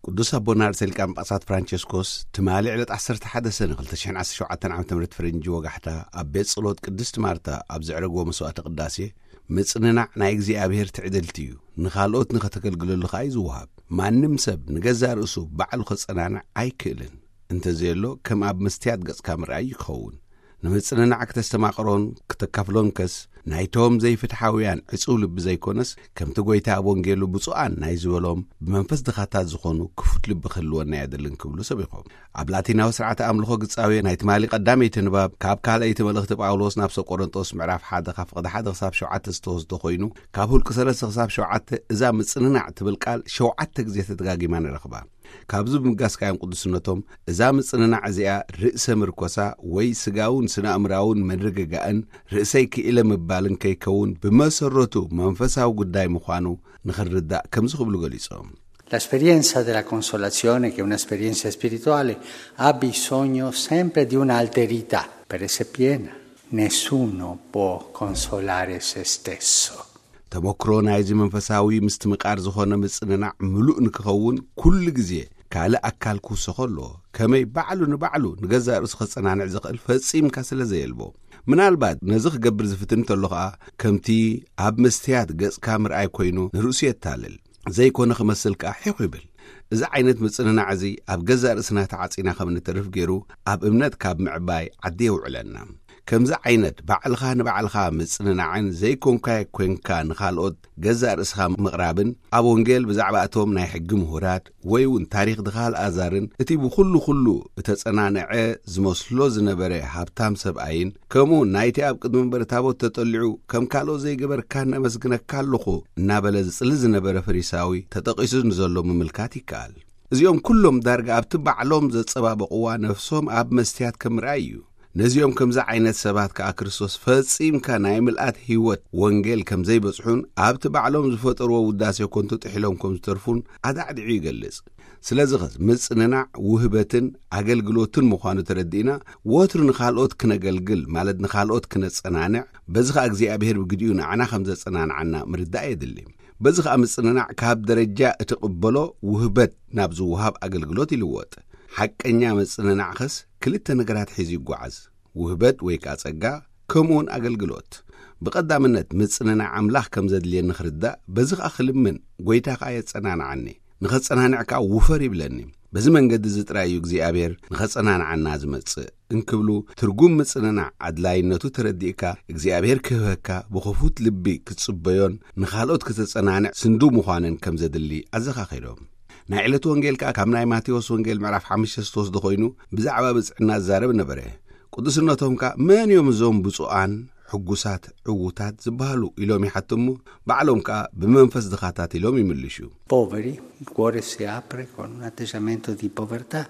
ቅዱስ ኣቦና ርእሰ ሊቃነ ጳጳሳት ፍራንቸስኮስ ትማሊ ዕለት ዓሰርተ ሓደ ሰነ ክልተ ሽሕን ዓሰርተ ሸውዓተን ዓመተ ምህረት ፈረንጂ ወጋሕታ ኣብ ቤት ጸሎት ቅድስት ማርታ ኣብ ዘዕረግዎ መስዋዕተ ቅዳሴ፣ ምጽንናዕ ናይ እግዚኣብሔር ትዕድልቲ እዩ፣ ንኻልኦት ንኸተገልግለሉ ኸኣ እዩ ዝወሃብ። ማንም ሰብ ንገዛእ ርእሱ ባዕሉ ኸጸናንዕ ኣይክእልን። እንተዘየሎ ከም ኣብ መስትያት ገጽካ ምርኣይ ይኸውን። ንምጽንናዕ ክተስተማቕሮን ክተካፍሎን ከስ ናይቶም ዘይፍትሓውያን ዕጹው ልቢ ዘይኮነስ፣ ከምቲ ጐይታ ኣብ ወንጌሉ ብፁዓን ናይ ዝበሎም ብመንፈስ ድኻታት ዝኾኑ ክፉት ልቢ ክህልወና የድልን ክብሉ ሰቢኾም። ኣብ ላቲናዊ ስርዓተ ኣምልኾ ግጻዊ ናይ ትማሊ ቀዳመይቲ ንባብ ካብ ካልኣይቲ መልእኽቲ ጳውሎስ ናብ ሰብ ቆሮንጦስ ምዕራፍ ሓደ ካብ ፍቕዲ ሓደ ክሳብ ሸውዓተ ዝተወስደ ኮይኑ፣ ካብ ሁልቂ ሰለስተ ክሳብ ሸውዓተ እዛ ምጽንናዕ ትብል ቃል ሸውዓተ ግዜ ተደጋጊማ ንረኽባ። ካብዚ ብምጋስ ካዮም ቅዱስነቶም እዛ ምጽንናዕ እዚኣ ርእሰ ምርኮሳ ወይ ስጋውን ስነ ኣእምራውን ምርግጋእን ርእሰይ ክኢለ ምባልን ከይከውን ብመሰረቱ መንፈሳዊ ጉዳይ ምዃኑ ንኽንርዳእ ከምዚ ክብሉ ገሊጾም። L'esperienza della consolazione, che è un'esperienza spirituale, ha bisogno sempre di un'alterità per essere piena. Nessuno può consolare se stesso. ተመክሮ ናይዚ መንፈሳዊ ምስትምቓር ዝኾነ ምጽንናዕ ምሉእ ንክኸውን ኩሉ ግዜ ካልእ ኣካል ክውሰኾ ኣለዎ። ከመይ ባዕሉ ንባዕሉ ንገዛእ ርእሱ ከጸናንዕ ዝኽእል ፈጺምካ ስለ ዘየልቦ። ምናልባት ነዚ ክገብር ዝፍትን እንተሎ ኸኣ ከምቲ ኣብ መስትያት ገጽካ ምርኣይ ኮይኑ ንርእሱ የታልል። ዘይኮነ ክመስል ከኣ ሒኹ ይብል። እዚ ዓይነት ምጽንናዕ እዚ ኣብ ገዛእ ርእስና ተዓጺና ከም ንተርፍ ገይሩ ኣብ እምነት ካብ ምዕባይ ዓዲ የውዕለና። ከምዚ ዓይነት ባዕልኻ ንባዕልኻ ምጽንናዕን ዘይኮንካዮ ኮንካ ንኻልኦት ገዛእ ርእስኻ ምቕራብን ኣብ ወንጌል ብዛዕባ እቶም ናይ ሕጊ ምሁራት ወይ እውን ታሪኽ ድኻ ኣልኣዛርን እቲ ብኹሉ ኩሉ እተጸናንዐ ዝመስሎ ዝነበረ ሃብታም ሰብኣይን ከምኡ ናይቲ ኣብ ቅድሚ መንበሪ ታቦት ተጠሊዑ ከም ካልኦት ዘይገበርካ ነመስግነካ ኣለኹ እናበለ ዝጽሊ ዝነበረ ፈሪሳዊ ተጠቒሱ ንዘሎ ምምልካት ይከኣል። እዚኦም ኩሎም ዳርጋ ኣብቲ ባዕሎም ዘጸባበቕዋ ነፍሶም ኣብ መስትያት ከም ምርኣይ እዩ። ነዚኦም ከምዚ ዓይነት ሰባት ከኣ ክርስቶስ ፈጺምካ ናይ ምልኣት ህይወት ወንጌል ከም ዘይበጽሑን ኣብቲ ባዕሎም ዝፈጠርዎ ውዳሴ ኮንቱ ጥሒሎም ከም ዝተርፉን ኣዳዕዲዑ ይገልጽ። ስለዚ ኸስ ምጽንናዕ ውህበትን ኣገልግሎትን ምዃኑ ተረዲእና ወትሩ ንኻልኦት ክነገልግል ማለት ንኻልኦት ክነጸናንዕ በዚ ኸኣ እግዚኣብሔር ብግዲኡ ንዓና ከም ዘጸናንዓና ምርዳእ የድሊ። በዚ ኸኣ ምጽንናዕ ካብ ደረጃ እትቕበሎ ውህበት ናብ ዝወሃብ ኣገልግሎት ይልወጥ። ሓቀኛ ምጽንናዕ ኸስ ክልተ ነገራት ሒዙ ይጓዓዝ። ውህበት ወይ ከኣ ጸጋ ከምኡውን ኣገልግሎት። ብቐዳምነት ምጽንናዕ ኣምላኽ ከም ዘድልየኒ ክርዳእ በዚ ኸኣ ክልምን ጐይታ ኸኣ የጸናንዓኒ። ንኸጸናንዕ ከኣ ውፈር ይብለኒ። በዚ መንገዲ እዚ ጥራይ እዩ እግዚኣብሔር ንኸጸናንዓና ዝመጽእ እንክብሉ ትርጉም ምጽንናዕ ኣድላይነቱ ተረዲእካ እግዚኣብሔር ክህበካ ብኽፉት ልቢ ክትጽበዮን ንኻልኦት ክተጸናንዕ ስንዱ ምዃንን ከም ዘድሊ ኣዘኻኺሮም። ናይ ዕለት ወንጌል ከኣ ካብ ናይ ማቴዎስ ወንጌል ምዕራፍ ሓሙሽተ ዝተወስደ ኮይኑ ብዛዕባ ብጽዕና ዝዛረብ ነበረ። ቅዱስነቶም ከኣ መን እዮም እዞም ብፁዓን ሕጉሳት ዕዉታት ዝበሃሉ ኢሎም ይሓትሙ። ባዕሎም ከኣ ብመንፈስ ድኻታት ኢሎም ይምልሹ። Poveri, il cuore si apre con un atteggiamento di povertà,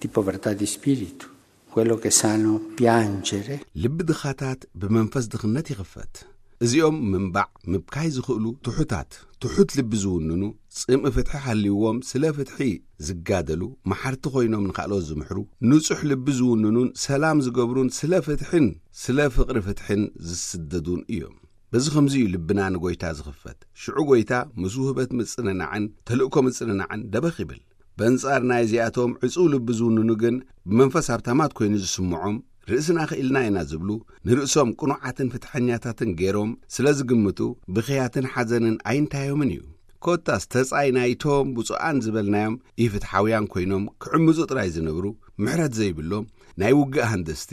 di povertà di spirito, quello che sanno piangere. ልቢ ድኻታት ብመንፈስ ድኽነት ይኽፈት። እዚኦም ምንባዕ ምብካይ ዝኽእሉ ትሑታት፣ ትሑት ልቢ ዝውንኑ፣ ጽምኢ ፍትሒ ሃልይዎም ስለ ፍትሒ ዝጋደሉ፣ መሓርቲ ኮይኖም ንኻልኦት ዝምሕሩ፣ ንጹሕ ልቢ ዝውንኑን ሰላም ዝገብሩን ስለ ፍትሕን ስለ ፍቕሪ ፍትሕን ዝስደዱን እዮም። በዚ ኸምዚ እዩ ልብና ንጎይታ ዝኽፈት። ሽዑ ጎይታ ምስ ውህበት ምጽንናዕን ተልእኮ ምጽንናዕን ደበኽ ይብል። በንጻር ናይዚኣቶም ዕጹው ልቢ ዝውንኑ ግን ብመንፈስ ሃብታማት ኮይኑ ዝስምዖም ርእስና ክኢልና ኢና ዝብሉ ንርእሶም ቅኑዓትን ፍትሐኛታትን ገይሮም ስለ ዝግምቱ ብኽያትን ሓዘንን ኣይንታዮምን እዩ። ኮታስ ተጻይ ናይቶም ብፁዓን ዝበልናዮም ኢፍትሓውያን ኮይኖም ክዕምጹ ጥራይ ዝነብሩ ምሕረት ዘይብሎም ናይ ውግእ ሃንደስቲ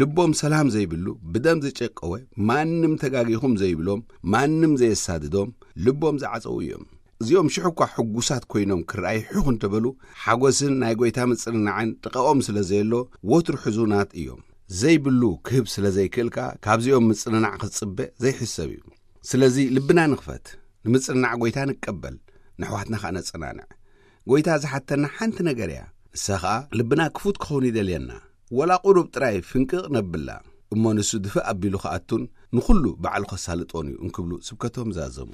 ልቦም ሰላም ዘይብሉ ብደም ዝጨቀወ ማንም ተጋጊኹም ዘይብሎም ማንም ዘየሳድዶም ልቦም ዝዓጸዉ እዮም። እዚኦም ሽሕ እኳ ሕጉሳት ኮይኖም ክረኣዩ ሕኹ እንተበሉ ሓጎስን ናይ ጎይታ ምጽንናዕን ጥቓኦም ስለ ዘየሎ ወትሩ ሕዙናት እዮም። ዘይብሉ ክህብ ስለ ዘይክእል ከኣ ካብዚኦም ምጽንናዕ ክትጽበ ዘይሕሰብ እዩ። ስለዚ ልብና ንኽፈት፣ ንምጽንናዕ ጎይታ ንቀበል፣ ንኣሕዋትና ከኣ ነጸናንዕ። ጎይታ ዝሓተና ሓንቲ ነገር እያ። ንሳ ኸኣ ልብና ክፉት ክኸውን ይደልየና። ወላ ቁሩብ ጥራይ ፍንቅቕ ነብላ እሞ ንሱ ድፍእ ኣቢሉ ክኣቱን ንኹሉ ባዕሉ ከሳልጦን እዩ እንክብሉ ስብከቶም ዛዘሙ።